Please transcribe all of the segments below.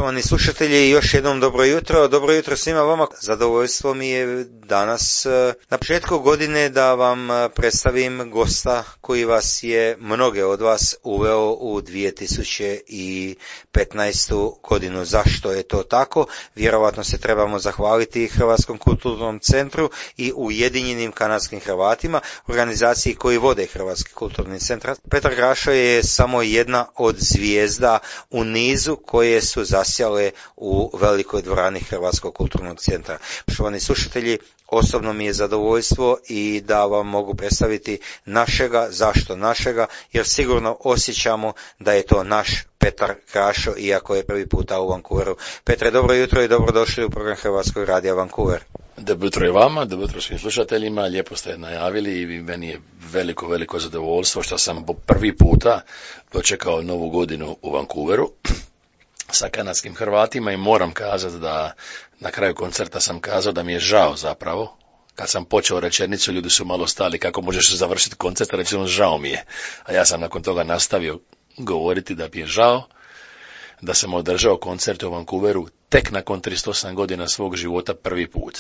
Poštovani slušatelji, još jednom dobro jutro svima vama. Zadovoljstvo mi je danas na početku godine da vam predstavim gosta koji vas je, mnoge od vas, uveo u 2015. godinu. Zašto je to tako? Vjerovatno se trebamo zahvaliti Hrvatskom kulturnom centru i Ujedinjenim kanadskim Hrvatima, organizaciji koji vode Hrvatski kulturni centar. Petar Krašo je samo jedna od zvijezda u nizu koje su zasjale u velikoj dvorani Hrvatskog kulturnog centra. Poštovani slušatelji, osobno mi je zadovoljstvo i da vam mogu predstaviti našega. Zašto našega? Jer sigurno osjećamo da je to naš Petar Krašo, iako je prvi puta u Vancouveru. Petre, dobro jutro i dobrodošli u program Hrvatskog radija Vancouver. Dobro jutro i vama, dobro jutro svim slušateljima, lijepo ste najavili i meni je veliko zadovoljstvo što sam prvi puta dočekao novu godinu u Vancouveru sa kanadskim Hrvatima i moram kazati da na kraju koncerta sam kazao da mi je žao zapravo. Kad sam počeo rečenicu, ljudi su malo stali, kako možeš završiti koncert, rečeno žao mi je. A ja sam nakon toga nastavio govoriti da mi je žao da sam održao koncert u Vancouveru tek nakon 38 godina svog života prvi put.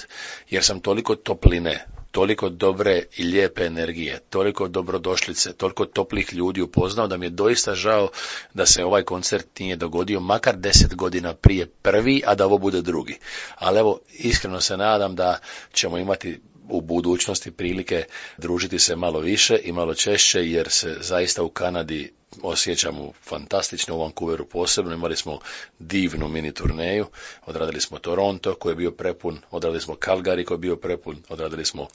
Jer sam toliko topline, toliko dobre i lijepe energije, toliko dobrodošlice, toliko toplih ljudi upoznao da mi je doista žao da se ovaj koncert nije dogodio makar 10 godina prije prvi, a da ovo bude drugi. Ali evo, iskreno se nadam da ćemo imati u budućnosti prilike družiti se malo više i malo češće, jer se zaista u Kanadi osjećamo fantastično, u Vancouveru posebno. Imali smo divnu mini turneju, odradili smo Toronto koji je bio prepun, odradili smo Calgary koji je bio prepun, odradili smo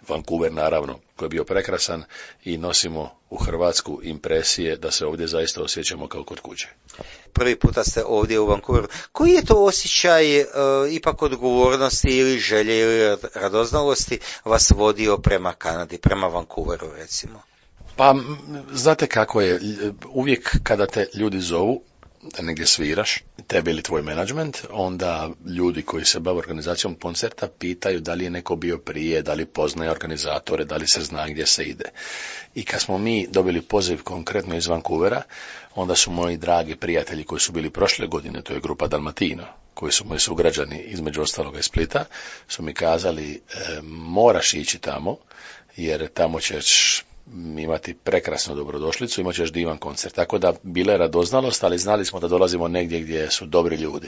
Vancouver naravno koji je bio prekrasan i nosimo u Hrvatsku impresije da se ovdje zaista osjećamo kao kod kuće. Prvi puta ste ovdje u Vancouveru. Koji je to osjećaj ipak odgovornosti ili želje ili radoznalosti vas vodio prema Kanadi, prema Vancouveru recimo? Pa, znate kako je, uvijek kada te ljudi zovu da negdje sviraš, tebe ili tvoj menadžment, onda ljudi koji se bave organizacijom koncerta pitaju da li je neko bio prije, da li poznaje organizatore, da li se zna gdje se ide. I kad smo mi dobili poziv konkretno iz Vancouvera, onda su moji dragi prijatelji koji su bili prošle godine, to je grupa Dalmatino, koji su moji sugrađani između ostaloga iz Splita, su mi kazali moraš ići tamo, jer tamo ćeš imati prekrasnu dobrodošlicu, imat ćeš divan koncert. Tako da bila je radoznalost, ali znali smo da dolazimo negdje gdje su dobri ljudi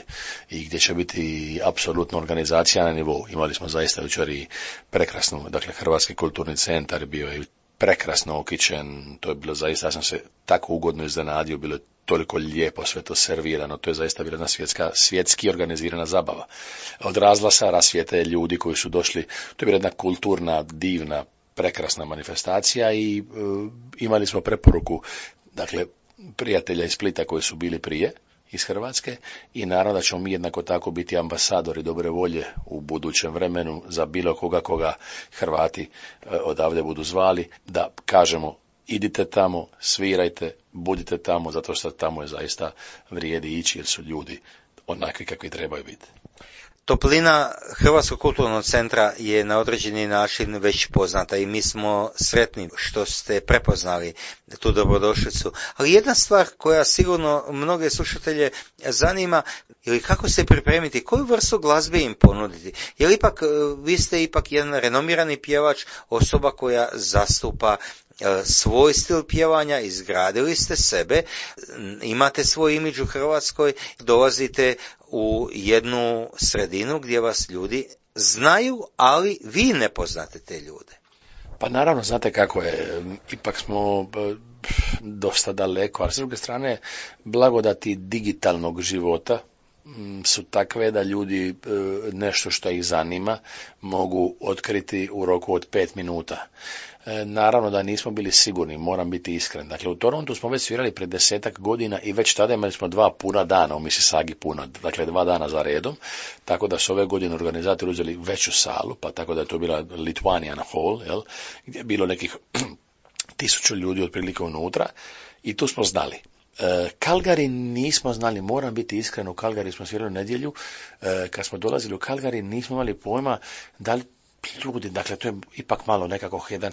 i gdje će biti apsolutno organizacija na nivou. Imali smo zaista jučer i prekrasnu, dakle Hrvatski kulturni centar bio je prekrasno okićen, to je bilo zaista, ja sam se tako ugodno iznenadio, bilo je toliko lijepo sve to servirano, to je zaista bila jedna svjetski organizirana zabava. Od razglasa, rasvijete ljudi koji su došli, to je bila jedna kulturna, divna, prekrasna manifestacija i imali smo preporuku, dakle, prijatelja iz Splita koji su bili prije iz Hrvatske i naravno da ćemo mi jednako tako biti ambasadori dobre volje u budućem vremenu za bilo koga Hrvati odavde budu zvali, da kažemo idite tamo, svirajte, budite tamo, zato što tamo je zaista vrijedi ići jer su ljudi onakvi kakvi trebaju biti. Toplina Hrvatskog kulturnog centra je na određeni način već poznata i mi smo sretni što ste prepoznali tu dobrodošlicu. Ali jedna stvar koja sigurno mnoge slušatelje zanima, ili kako se pripremiti, koju vrstu glazbe im ponuditi. Jer ipak, vi ste ipak jedan renomirani pjevač, osoba koja zastupa svoj stil pjevanja, izgradili ste sebe, imate svoj imidž u Hrvatskoj, dolazite u jednu sredinu gdje vas ljudi znaju, ali vi ne poznate te ljude. Pa naravno, znate kako je, ipak smo dosta daleko, ali s druge strane blagodati digitalnog života su takve da ljudi nešto što ih zanima mogu otkriti u roku od 5 minuta. Naravno da nismo bili sigurni, moram biti iskren. Dakle, u Torontu smo već svirali pred 10 godina i već tada imali smo 2 puna dana, u Mississaugi puna, dakle 2 dana za redom, tako da su ove godine organizatori uzeli veću salu, pa tako da je to bila Lithuanian Hall, jel, gdje je bilo nekih 1000 ljudi otprilike unutra i tu smo znali. Calgary nismo znali, moram biti iskren, u Calgary smo svirali u nedjelju, kad smo dolazili u Calgary nismo imali pojma da li ljudi, dakle, to je ipak malo nekako jedan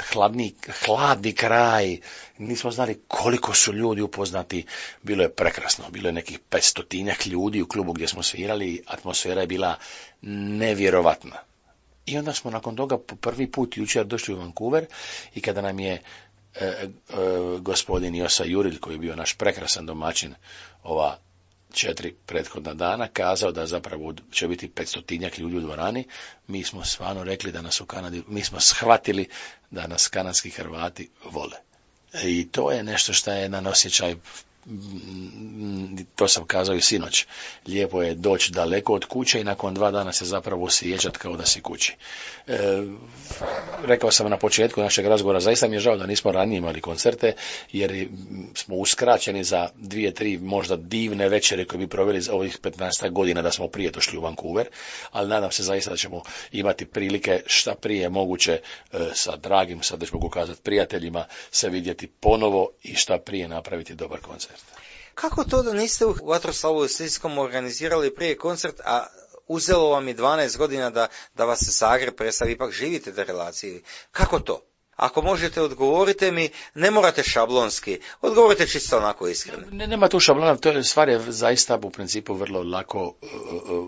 hladni kraj, nismo znali koliko su ljudi upoznati, bilo je prekrasno, bilo je nekih 500 ljudi u klubu gdje smo svirali, atmosfera je bila nevjerovatna. I onda smo nakon toga po prvi put jučer došli u Vancouver i kada nam je gospodin Josa Jurilj, koji je bio naš prekrasan domaćin ova 4 prethodna dana, kazao da zapravo će biti 500 ljudi u dvorani, mi smo stvarno rekli da nas u Kanadi, mi smo shvatili da nas kanadski Hrvati vole. I to je nešto što je jedan osjećaj, to sam kazao i sinoć, lijepo je doći daleko od kuće i nakon 2 dana se zapravo osjećati kao da si kući. Rekao sam na početku našeg razgovora, zaista mi je žao da nismo ranije imali koncerte, jer smo uskraćeni za 2-3 možda divne večere koje bi proveli za ovih 15 godina da smo prije došli u Vancouver, ali nadam se zaista da ćemo imati prilike šta prije moguće sa dragim, sad već mogu kazati prijateljima, se vidjeti ponovo i šta prije napraviti dobar koncert. Kako to da niste u Vatroslavu Lisinskom organizirali prije koncert, a uzelo vam je 12 godina da vas se Zagreb predstavi, ipak živite te relacije? Kako to? Ako možete, odgovorite mi, ne morate šablonski, odgovorite čisto onako iskreno. Nema tu šablona, to je stvar je zaista u principu vrlo lako,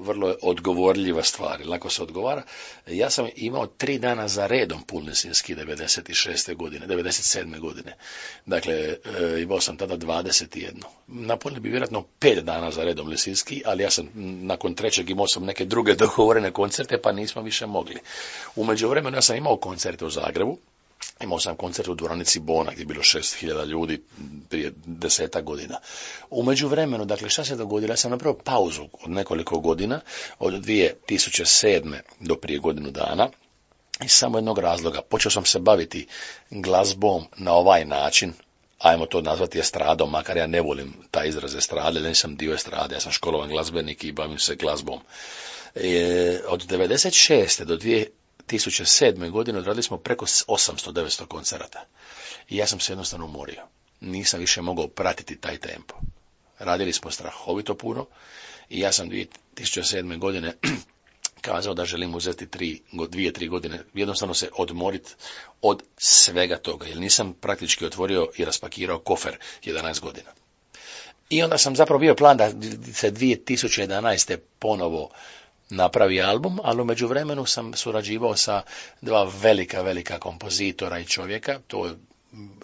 vrlo odgovorljiva stvar, lako se odgovara. Ja sam imao 3 dana za redom pun Lisinski 97. godine. Dakle, imao sam tada 21. Napunili bi vjerojatno 5 dana za redom Lisinski, ali ja sam nakon 3. imao sam neke druge dogovorene koncerte, pa nismo više mogli. U međuvremenu ja sam imao koncerte u Zagrebu. Imao sam koncert u dvoranici Bona gdje je bilo 6.000 ljudi prije 10 godina. U međuvremenu, dakle, šta se dogodilo? Ja sam napravio pauzu od nekoliko godina, od 2007. do prije godinu dana, iz samo jednog razloga. Počeo sam se baviti glazbom na ovaj način, ajmo to nazvati estradom, makar ja ne volim taj izraz estrade, nisam dio estrade, ja sam školovan glazbenik i bavim se glazbom. Od 96. do 2007. godine odradili smo preko 800-900 koncerata. I ja sam se jednostavno umorio. Nisam više mogao pratiti taj tempo. Radili smo strahovito puno i ja sam 2007. godine kazao da želim uzeti 2-3 godine, jednostavno se odmoriti od svega toga, jer nisam praktički otvorio i raspakirao kofer 11 godina. I onda sam zapravo bio plan da se 2011. ponovo napravi album, ali u međuvremenu sam surađivao sa 2 velika kompozitora i čovjeka.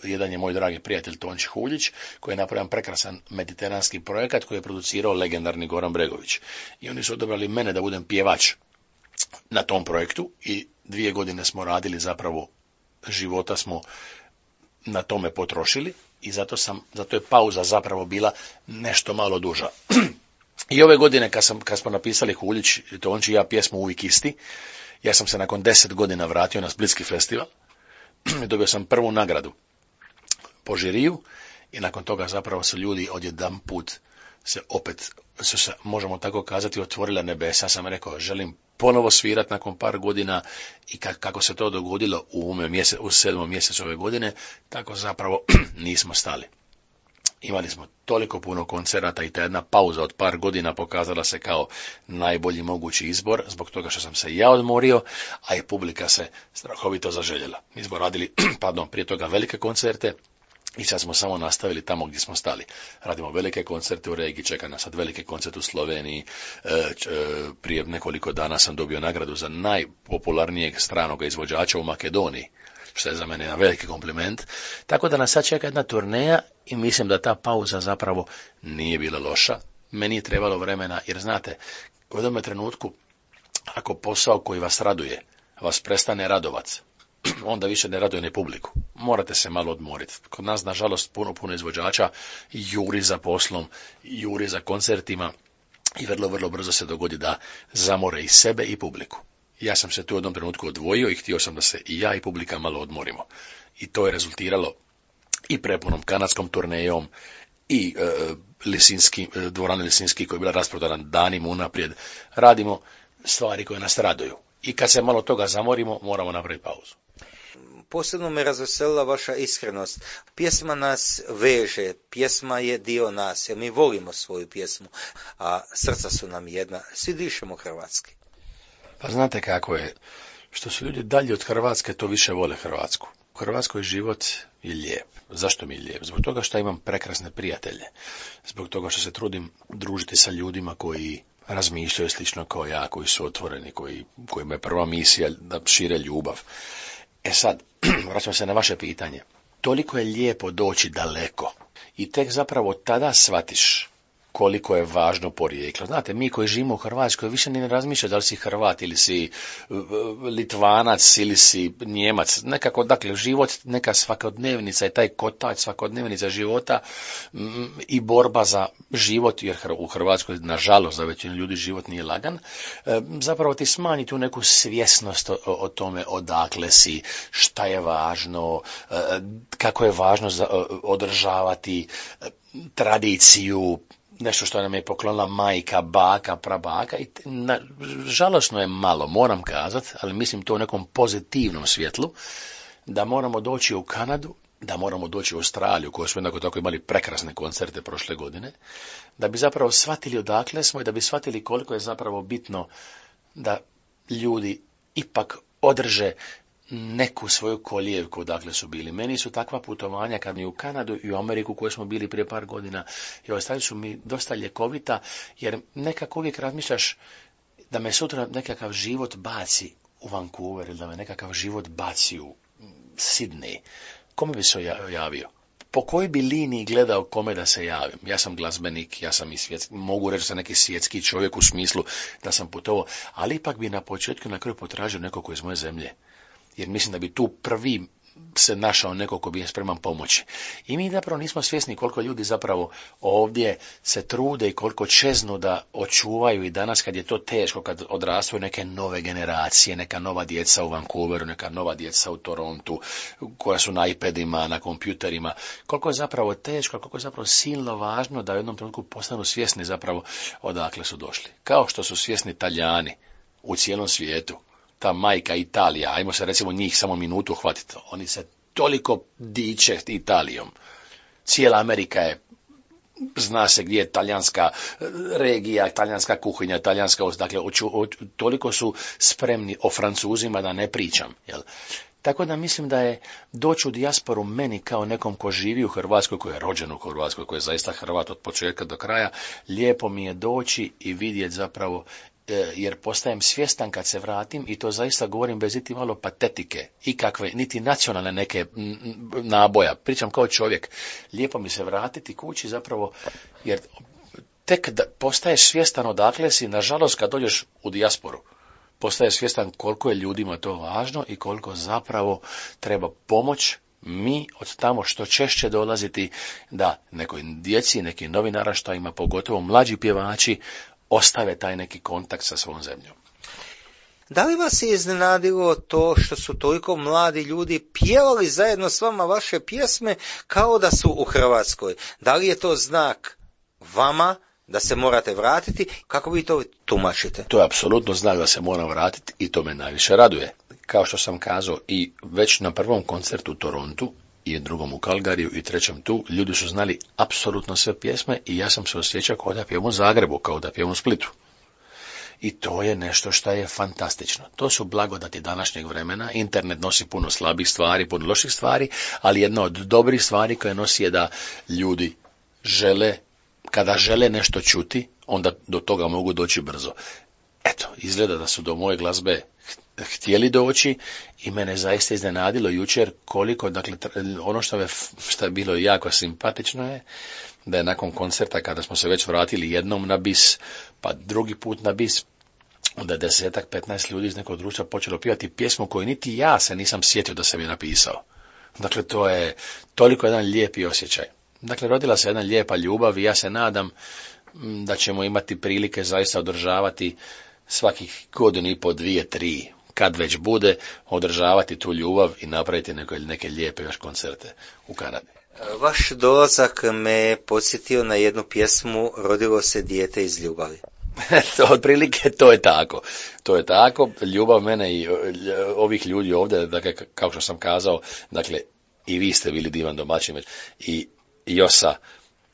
Jedan je moj dragi prijatelj Tonči Huljić, koji je napravio prekrasan mediteranski projekat koji je producirao legendarni Goran Bregović. I oni su odabrali mene da budem pjevač na tom projektu i 2 godine smo radili, zapravo života smo na tome potrošili i zato je pauza zapravo bila nešto malo duža. I ove godine kad smo napisali Huljić i Tonči i ja pjesmu Uvijek isti, ja sam se nakon 10 godina vratio na Splitski festival i dobio sam prvu nagradu po žiriju i nakon toga zapravo su ljudi odjedanput su se, možemo tako kazati, otvorila nebesa. Ja sam rekao, želim ponovo svirati nakon par godina i kako se to dogodilo u 7. mjesecu ove godine, tako zapravo nismo stali. Imali smo toliko puno koncerata i ta jedna pauza od par godina pokazala se kao najbolji mogući izbor, zbog toga što sam se ja odmorio, a i publika se strahovito zaželjela. Mi smo radili, prije toga velike koncerte i sad smo samo nastavili tamo gdje smo stali. Radimo velike koncerte u regiji, čeka nas sad velike koncerte u Sloveniji. Prije nekoliko dana sam dobio nagradu za najpopularnijeg stranog izvođača u Makedoniji, što je za mene jedan veliki kompliment. Tako da nas sad čeka jedna turneja i mislim da ta pauza zapravo nije bila loša. Meni je trebalo vremena, jer znate, u jednom trenutku, ako posao koji vas raduje, vas prestane radovat, onda više ne raduje ni publiku. Morate se malo odmoriti. Kod nas, nažalost, puno izvođača juri za poslom, juri za koncertima i vrlo brzo se dogodi da zamore i sebe i publiku. Ja sam se tu u jednom trenutku odvojio i htio sam da se i ja i publika malo odmorimo. I to je rezultiralo i prepunom kanadskom turnejom i dvorani Lisinski koja je bila rasprodana danima unaprijed. Radimo stvari koje nas raduju. I kad se malo toga zamorimo, moramo napraviti pauzu. Posebno me razveselila vaša iskrenost. Pjesma nas veže, pjesma je dio nas, jer mi volimo svoju pjesmu, a srca su nam jedna, svi dišemo hrvatski. Pa znate kako je, Što su ljudi dalje od Hrvatske, to više vole Hrvatsku. U Hrvatskoj život je lijep. Zašto mi je lijep? Zbog toga što imam prekrasne prijatelje. Zbog toga što se trudim družiti sa ljudima koji razmišljaju slično kao ja, koji su otvoreni, kojima je prva misija da šire ljubav. E sad, vraćam se na vaše pitanje. Toliko je lijepo doći daleko i tek zapravo tada shvatiš koliko je važno porijeklo. Znate, mi koji živimo u Hrvatskoj više ni ne razmišljamo da li si Hrvat ili si Litvanac ili si Njemac. Nekako, dakle, život, neka svakodnevnica je taj kotač svakodnevnica života i borba za život, jer u Hrvatskoj, nažalost, za većinu ljudi život nije lagan, zapravo ti smanji tu neku svjesnost o tome odakle si, šta je važno, kako je važno održavati tradiciju, nešto što nam je poklonila majka, baka, prabaka i žalosno je malo, moram kazati, ali mislim to u nekom pozitivnom svjetlu, da moramo doći u Kanadu, da moramo doći u Australiju, koju smo jednako tako imali prekrasne koncerte prošle godine, da bi zapravo shvatili odakle smo i da bi shvatili koliko je zapravo bitno da ljudi ipak održe neku svoju kolijevku odakle su bili. Meni su takva putovanja kad mi u Kanadu i u Ameriku koje smo bili prije par godina i ostali su mi dosta ljekovita, jer nekako uvijek razmišljaš da me sutra nekakav život baci u Vancouver ili da me nekakav život baci u Sydney. Kome bi se javio? Po kojoj bi liniji gledao kome da se javim? Ja sam glazbenik, ja sam i svjetski, mogu reći da sam neki svjetski čovjek u smislu da sam putovao, ali ipak bi na početku na kraju potražio nekog koji je iz moje zemlje. Jer mislim da bi tu prvi se našao neko ko bi je spreman pomoći. I mi zapravo nismo svjesni koliko ljudi zapravo ovdje se trude i koliko čeznu da očuvaju i danas kad je to teško, kad odrastaju neke nove generacije, neka nova djeca u Vancouveru, neka nova djeca u Torontu, koja su na iPadima, na kompjuterima, koliko je zapravo teško, koliko je zapravo silno važno da u jednom trenutku postanu svjesni zapravo odakle su došli. Kao što su svjesni Talijani u cijelom svijetu. Ta majka Italija, ajmo se recimo njih samo minutu hvatiti, oni se toliko diče Italijom. Cijela Amerika je, zna se gdje je talijanska regija, talijanska kuhinja, talijanska, dakle, toliko su spremni o Francuzima da ne pričam, jel? Tako da mislim da je doći u dijasporu meni kao nekom ko živi u Hrvatskoj, koji je rođen u Hrvatskoj, koji je zaista Hrvat od početka do kraja, lijepo mi je doći i vidjeti zapravo, jer postajem svjestan kad se vratim i to zaista govorim bez iti malo patetike, ikakve, niti nacionalne neke naboja, pričam kao čovjek. Lijepo mi se vratiti kući zapravo, jer tek da postaješ svjestan odakle si, nažalost kad dođeš u dijasporu, postaješ svjestan koliko je ljudima to važno i koliko zapravo treba pomoć mi od tamo što češće dolaziti da nekoj djeci, nekim novim naraštajima, pogotovo mlađi pjevači, ostave taj neki kontakt sa svojom zemljom. Da li vas je iznenadilo to što su toliko mladi ljudi pjevali zajedno s vama vaše pjesme kao da su u Hrvatskoj? Da li je to znak vama da se morate vratiti? Kako vi to tumačite? To je apsolutno znak da se moram vratiti i to me najviše raduje. Kao što sam kazao i već na prvom koncertu u Torontu, i drugom u Calgaryju i trećem tu, ljudi su znali apsolutno sve pjesme i ja sam se osjećao kao da pjevam u Zagrebu, kao da pjevam u Splitu. I to je nešto što je fantastično. To su blagodati današnjeg vremena. Internet nosi puno slabih stvari, puno loših stvari, ali jedna od dobrih stvari koje nosi je da ljudi žele, kada žele nešto čuti, onda do toga mogu doći brzo. Eto, izgleda da su do moje glazbe htjeli doći i mene zaista iznenadilo jučer koliko, dakle, ono što je bilo jako simpatično je da je nakon koncerta, kada smo se već vratili jednom na bis, pa drugi put na bis, onda je 10-15 ljudi iz nekog društva počelo pjevati pjesmu koju niti ja se nisam sjetio da sam je napisao. Dakle, to je toliko jedan lijepi osjećaj. Dakle, rodila se jedna lijepa ljubav i ja se nadam da ćemo imati prilike zaista održavati svakih godinu i po, 2, 3, kad već bude, održavati tu ljubav i napraviti neke lijepe još koncerte u Kanadi. Vaš dolazak me podsjetio na jednu pjesmu Rodilo se dijete iz ljubavi. Otprilike to je tako. To je tako. Ljubav mene i ovih ljudi ovdje, dakle, kao što sam kazao, dakle, i vi ste bili divan domaćin i Josa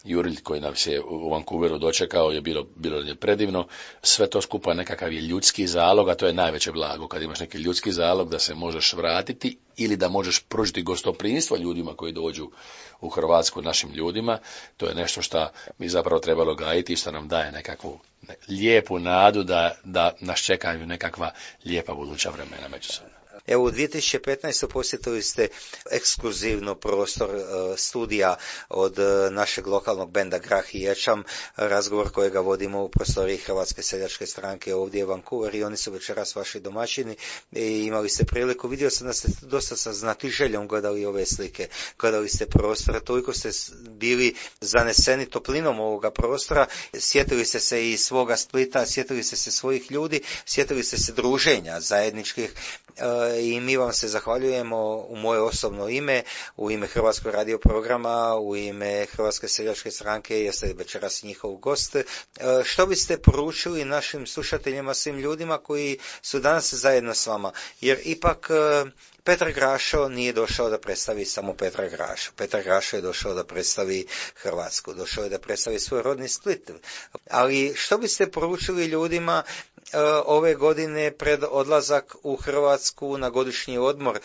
Jurelj koji nas je u Vancouveru dočekao je bilo je predivno. Sve to skupa nekakav je ljudski zalog, a to je najveće blago. Kad imaš neki ljudski zalog da se možeš vratiti ili da možeš pružiti gostoprimstvo ljudima koji dođu u Hrvatsku, našim ljudima, to je nešto što mi zapravo trebalo gajiti i što nam daje nekakvu lijepu nadu da nas čekaju nekakva lijepa buduća vremena međusobno. Evo, u 2015. posjetili ste ekskluzivno prostor studija od našeg lokalnog benda Grah i Ječam, razgovor kojega vodimo u prostoriji Hrvatske seljačke stranke ovdje u Vancouver i oni su večeras vaši domaćini i imali ste priliku, vidio sam da ste dosta sa znatiželjom gledali ove slike, gledali ste prostor, toliko ste bili zaneseni toplinom ovoga prostora, sjetili ste se i svoga Splita, sjetili ste se svojih ljudi, sjetili ste se druženja zajedničkih i mi vam se zahvaljujemo u moje osobno ime, u ime Hrvatskog radio programa, u ime Hrvatske seljačke stranke, jeste večeras njihov gost. Što biste poručili našim slušateljima, svim ljudima koji su danas zajedno s vama? Jer ipak Petar Grašo nije došao da predstavi samo Petra Grašo. Petar Grašo je došao da predstavi Hrvatsku, došao je da predstavi svoj rodni Split. Ali što biste poručili ljudima ove godine pred odlazak u Hrvatsku na godišnji odmor?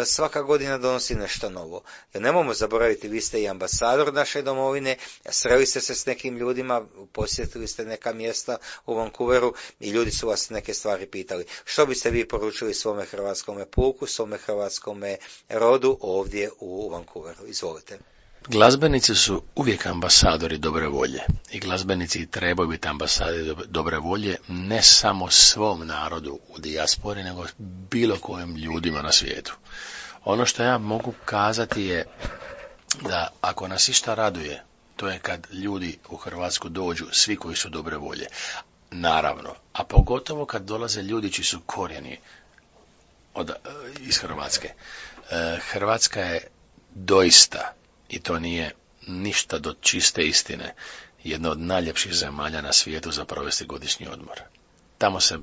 Svaka godina donosi nešto novo. Jer nemojmo zaboraviti, vi ste i ambasador naše domovine, sreli ste se s nekim ljudima, posjetili ste neka mjesta u Vancouveru i ljudi su vas neke stvari pitali. Što biste vi poručili svome hrvatskome puku, svome hrvatskome rodu ovdje u Vancouveru? Izvolite. Glazbenici su uvijek ambasadori dobre volje i glazbenici trebaju biti ambasadori dobre volje ne samo svom narodu u dijaspori, nego bilo kojim ljudima na svijetu. Ono što ja mogu kazati je da ako nas išta raduje, to je kad ljudi u Hrvatsku dođu, svi koji su dobre volje. Naravno, a pogotovo kad dolaze ljudi čiji su korijeni iz Hrvatske. Hrvatska je doista, i to nije ništa do čiste istine, jedna od najljepših zemalja na svijetu za provesti godišnji odmor. Tamo se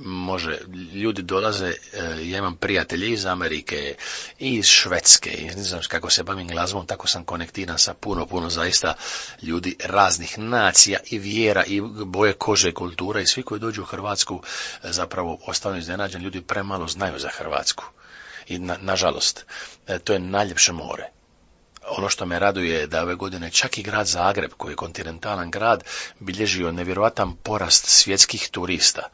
može, ljudi dolaze, ja imam prijatelje iz Amerike i iz Švedske, i ne znam kako se bavim glazbom, tako sam konektiran sa puno zaista ljudi raznih nacija i vjera i boje kože, kultura i svi koji dođu u Hrvatsku zapravo ostanu iznenađeni, ljudi premalo znaju za Hrvatsku. I nažalost, to je najljepše more. Ono što me raduje je da ove godine čak i grad Zagreb, koji je kontinentalan grad, bilježio nevjerojatan porast svjetskih turista.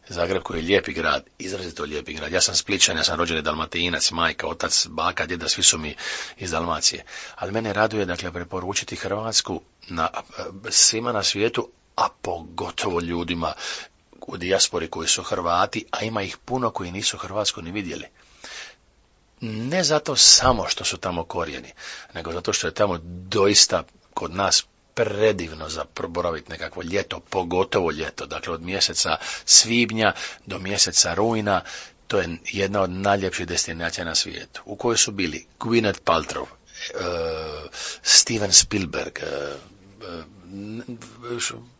Zagreb koji je lijepi grad, izrazito lijepi grad. Ja sam Splićan, ja sam rođeni Dalmatinac, majka, otac, baka, djeda, svi su mi iz Dalmacije. Ali mene raduje, dakle, preporučiti Hrvatsku svima na svijetu, a pogotovo ljudima u dijaspori koji su Hrvati, a ima ih puno koji nisu Hrvatsku ni vidjeli. Ne zato samo što su tamo korijeni, nego zato što je tamo doista kod nas predivno za boraviti nekakvo ljeto, pogotovo ljeto. Dakle, od mjeseca svibnja do mjeseca rujna, to je jedna od najljepših destinacija na svijetu, u kojoj su bili Gwyneth Paltrow, Steven Spielberg,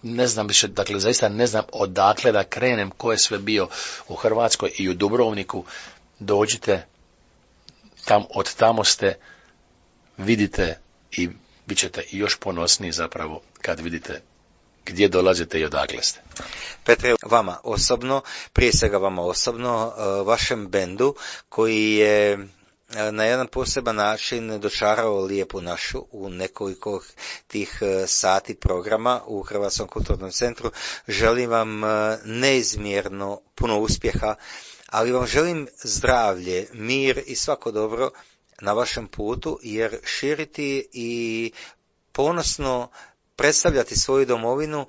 ne znam više, dakle, zaista ne znam odakle da krenem, ko je sve bio u Hrvatskoj i u Dubrovniku. Dođite, od tamo ste, vidite i bit ćete još ponosniji zapravo kad vidite gdje dolazite i odakle ste. Petre, vama osobno, prije svega vama osobno, vašem bendu koji je na jedan poseban način dočarao lijepu našu u nekoliko tih sati programa u Hrvatskom kulturnom centru, želim vam neizmjerno puno uspjeha, ali vam želim zdravlje, mir i svako dobro na vašem putu, jer širiti i ponosno predstavljati svoju domovinu,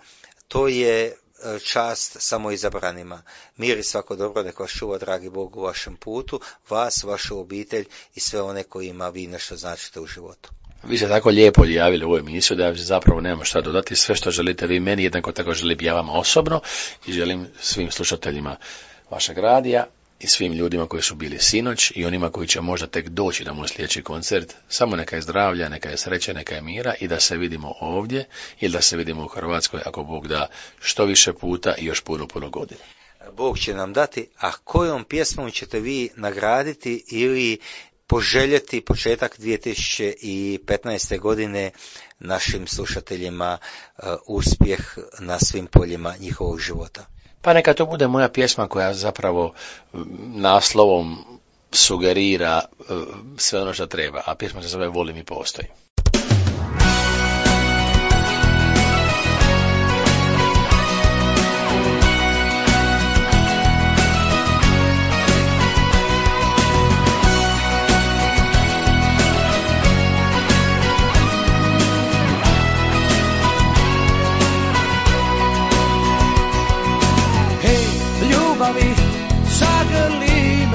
to je čast samo izabranima. Mir i svako dobro neka vas čuva, dragi Bog, u vašem putu, vas, vašu obitelj i sve one kojima vi nešto značite u životu. Vi ste tako lijepo javili u ovu emisiju da ja zapravo nemam šta dodati. Sve što želite vi meni, jednako tako želim ja vama osobno i želim svim slušateljima vašeg radija i svim ljudima koji su bili sinoć i onima koji će možda tek doći na moj sljedeći koncert. Samo neka je zdravlja, neka je sreće, neka je mira i da se vidimo ovdje ili da se vidimo u Hrvatskoj, ako Bog da, što više puta i još puno godina. Bog će nam dati, a kojom pjesmom ćete vi nagraditi ili poželjeti početak 2015. godine našim slušateljima uspjeh na svim poljima njihovog života? Pa neka to bude moja pjesma koja zapravo naslovom sugerira sve ono što treba, a pjesma se zove Volim i postoji.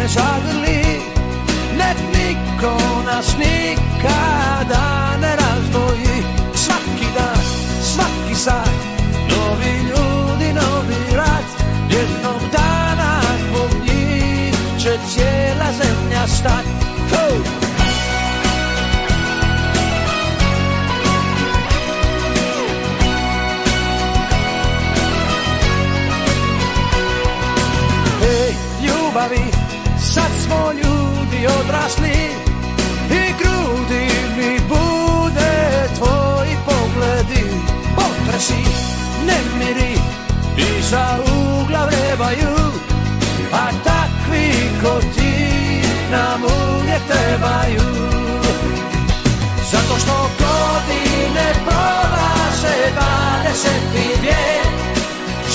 Zagrli, nek niko nas nikada ne razdvoji. Svaki dan, svaki sat, novi ljudi, novi rat. Jednog dana zbog njih će cijela zemlja stat. Hej, ljubavi, sad smo ljudi odrasli i grudi mi bude tvoji pogledi. Potresi, nemiri, iza ugla vrebaju, a takvi ko ti nam uvijek trebaju. Zato što godine prolaze 20. vijek,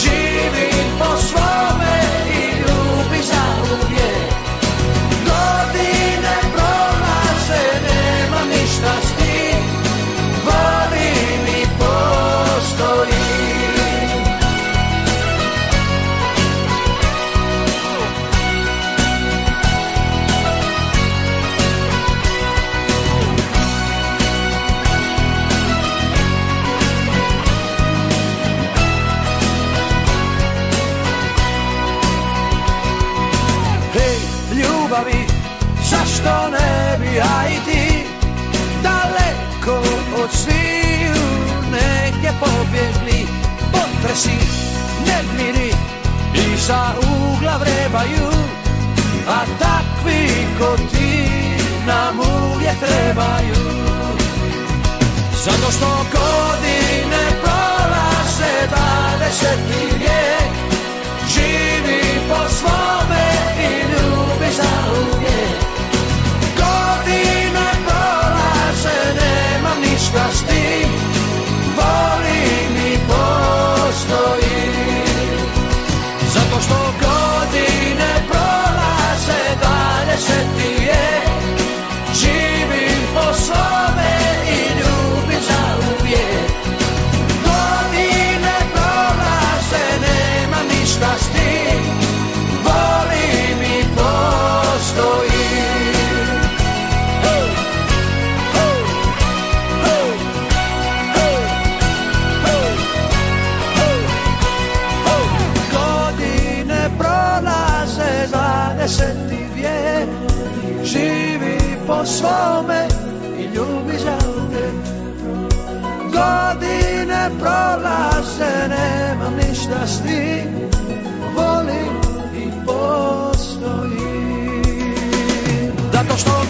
živim po svome i ljubi zauvijek. Godine prolaze, nema ništa s tim, volim i postojim. Hej, ljubavi, zašto ne bi ja i ti daleko od sviju negdje pobjegli? Potresi, nemiri, iza ugla vrebaju, a takvi ko ti nam uvijek trebaju. Zato što godine prolaze 20. vijek, živi po svome i ljubi zauvijek. Godine prolaze, nemam ništa s tim, volim i postojim. Zato što godine prolaze 20. vijek, živim po svome i ljubim zauvijek. Godine prolaze, nemam ništa s tim, volim i postojim. Godine prolaze 20. vijek, živi po svome i ljubi zauvijek. Godine prolaze, nemam ništa s tim, volim i postojim. Zato što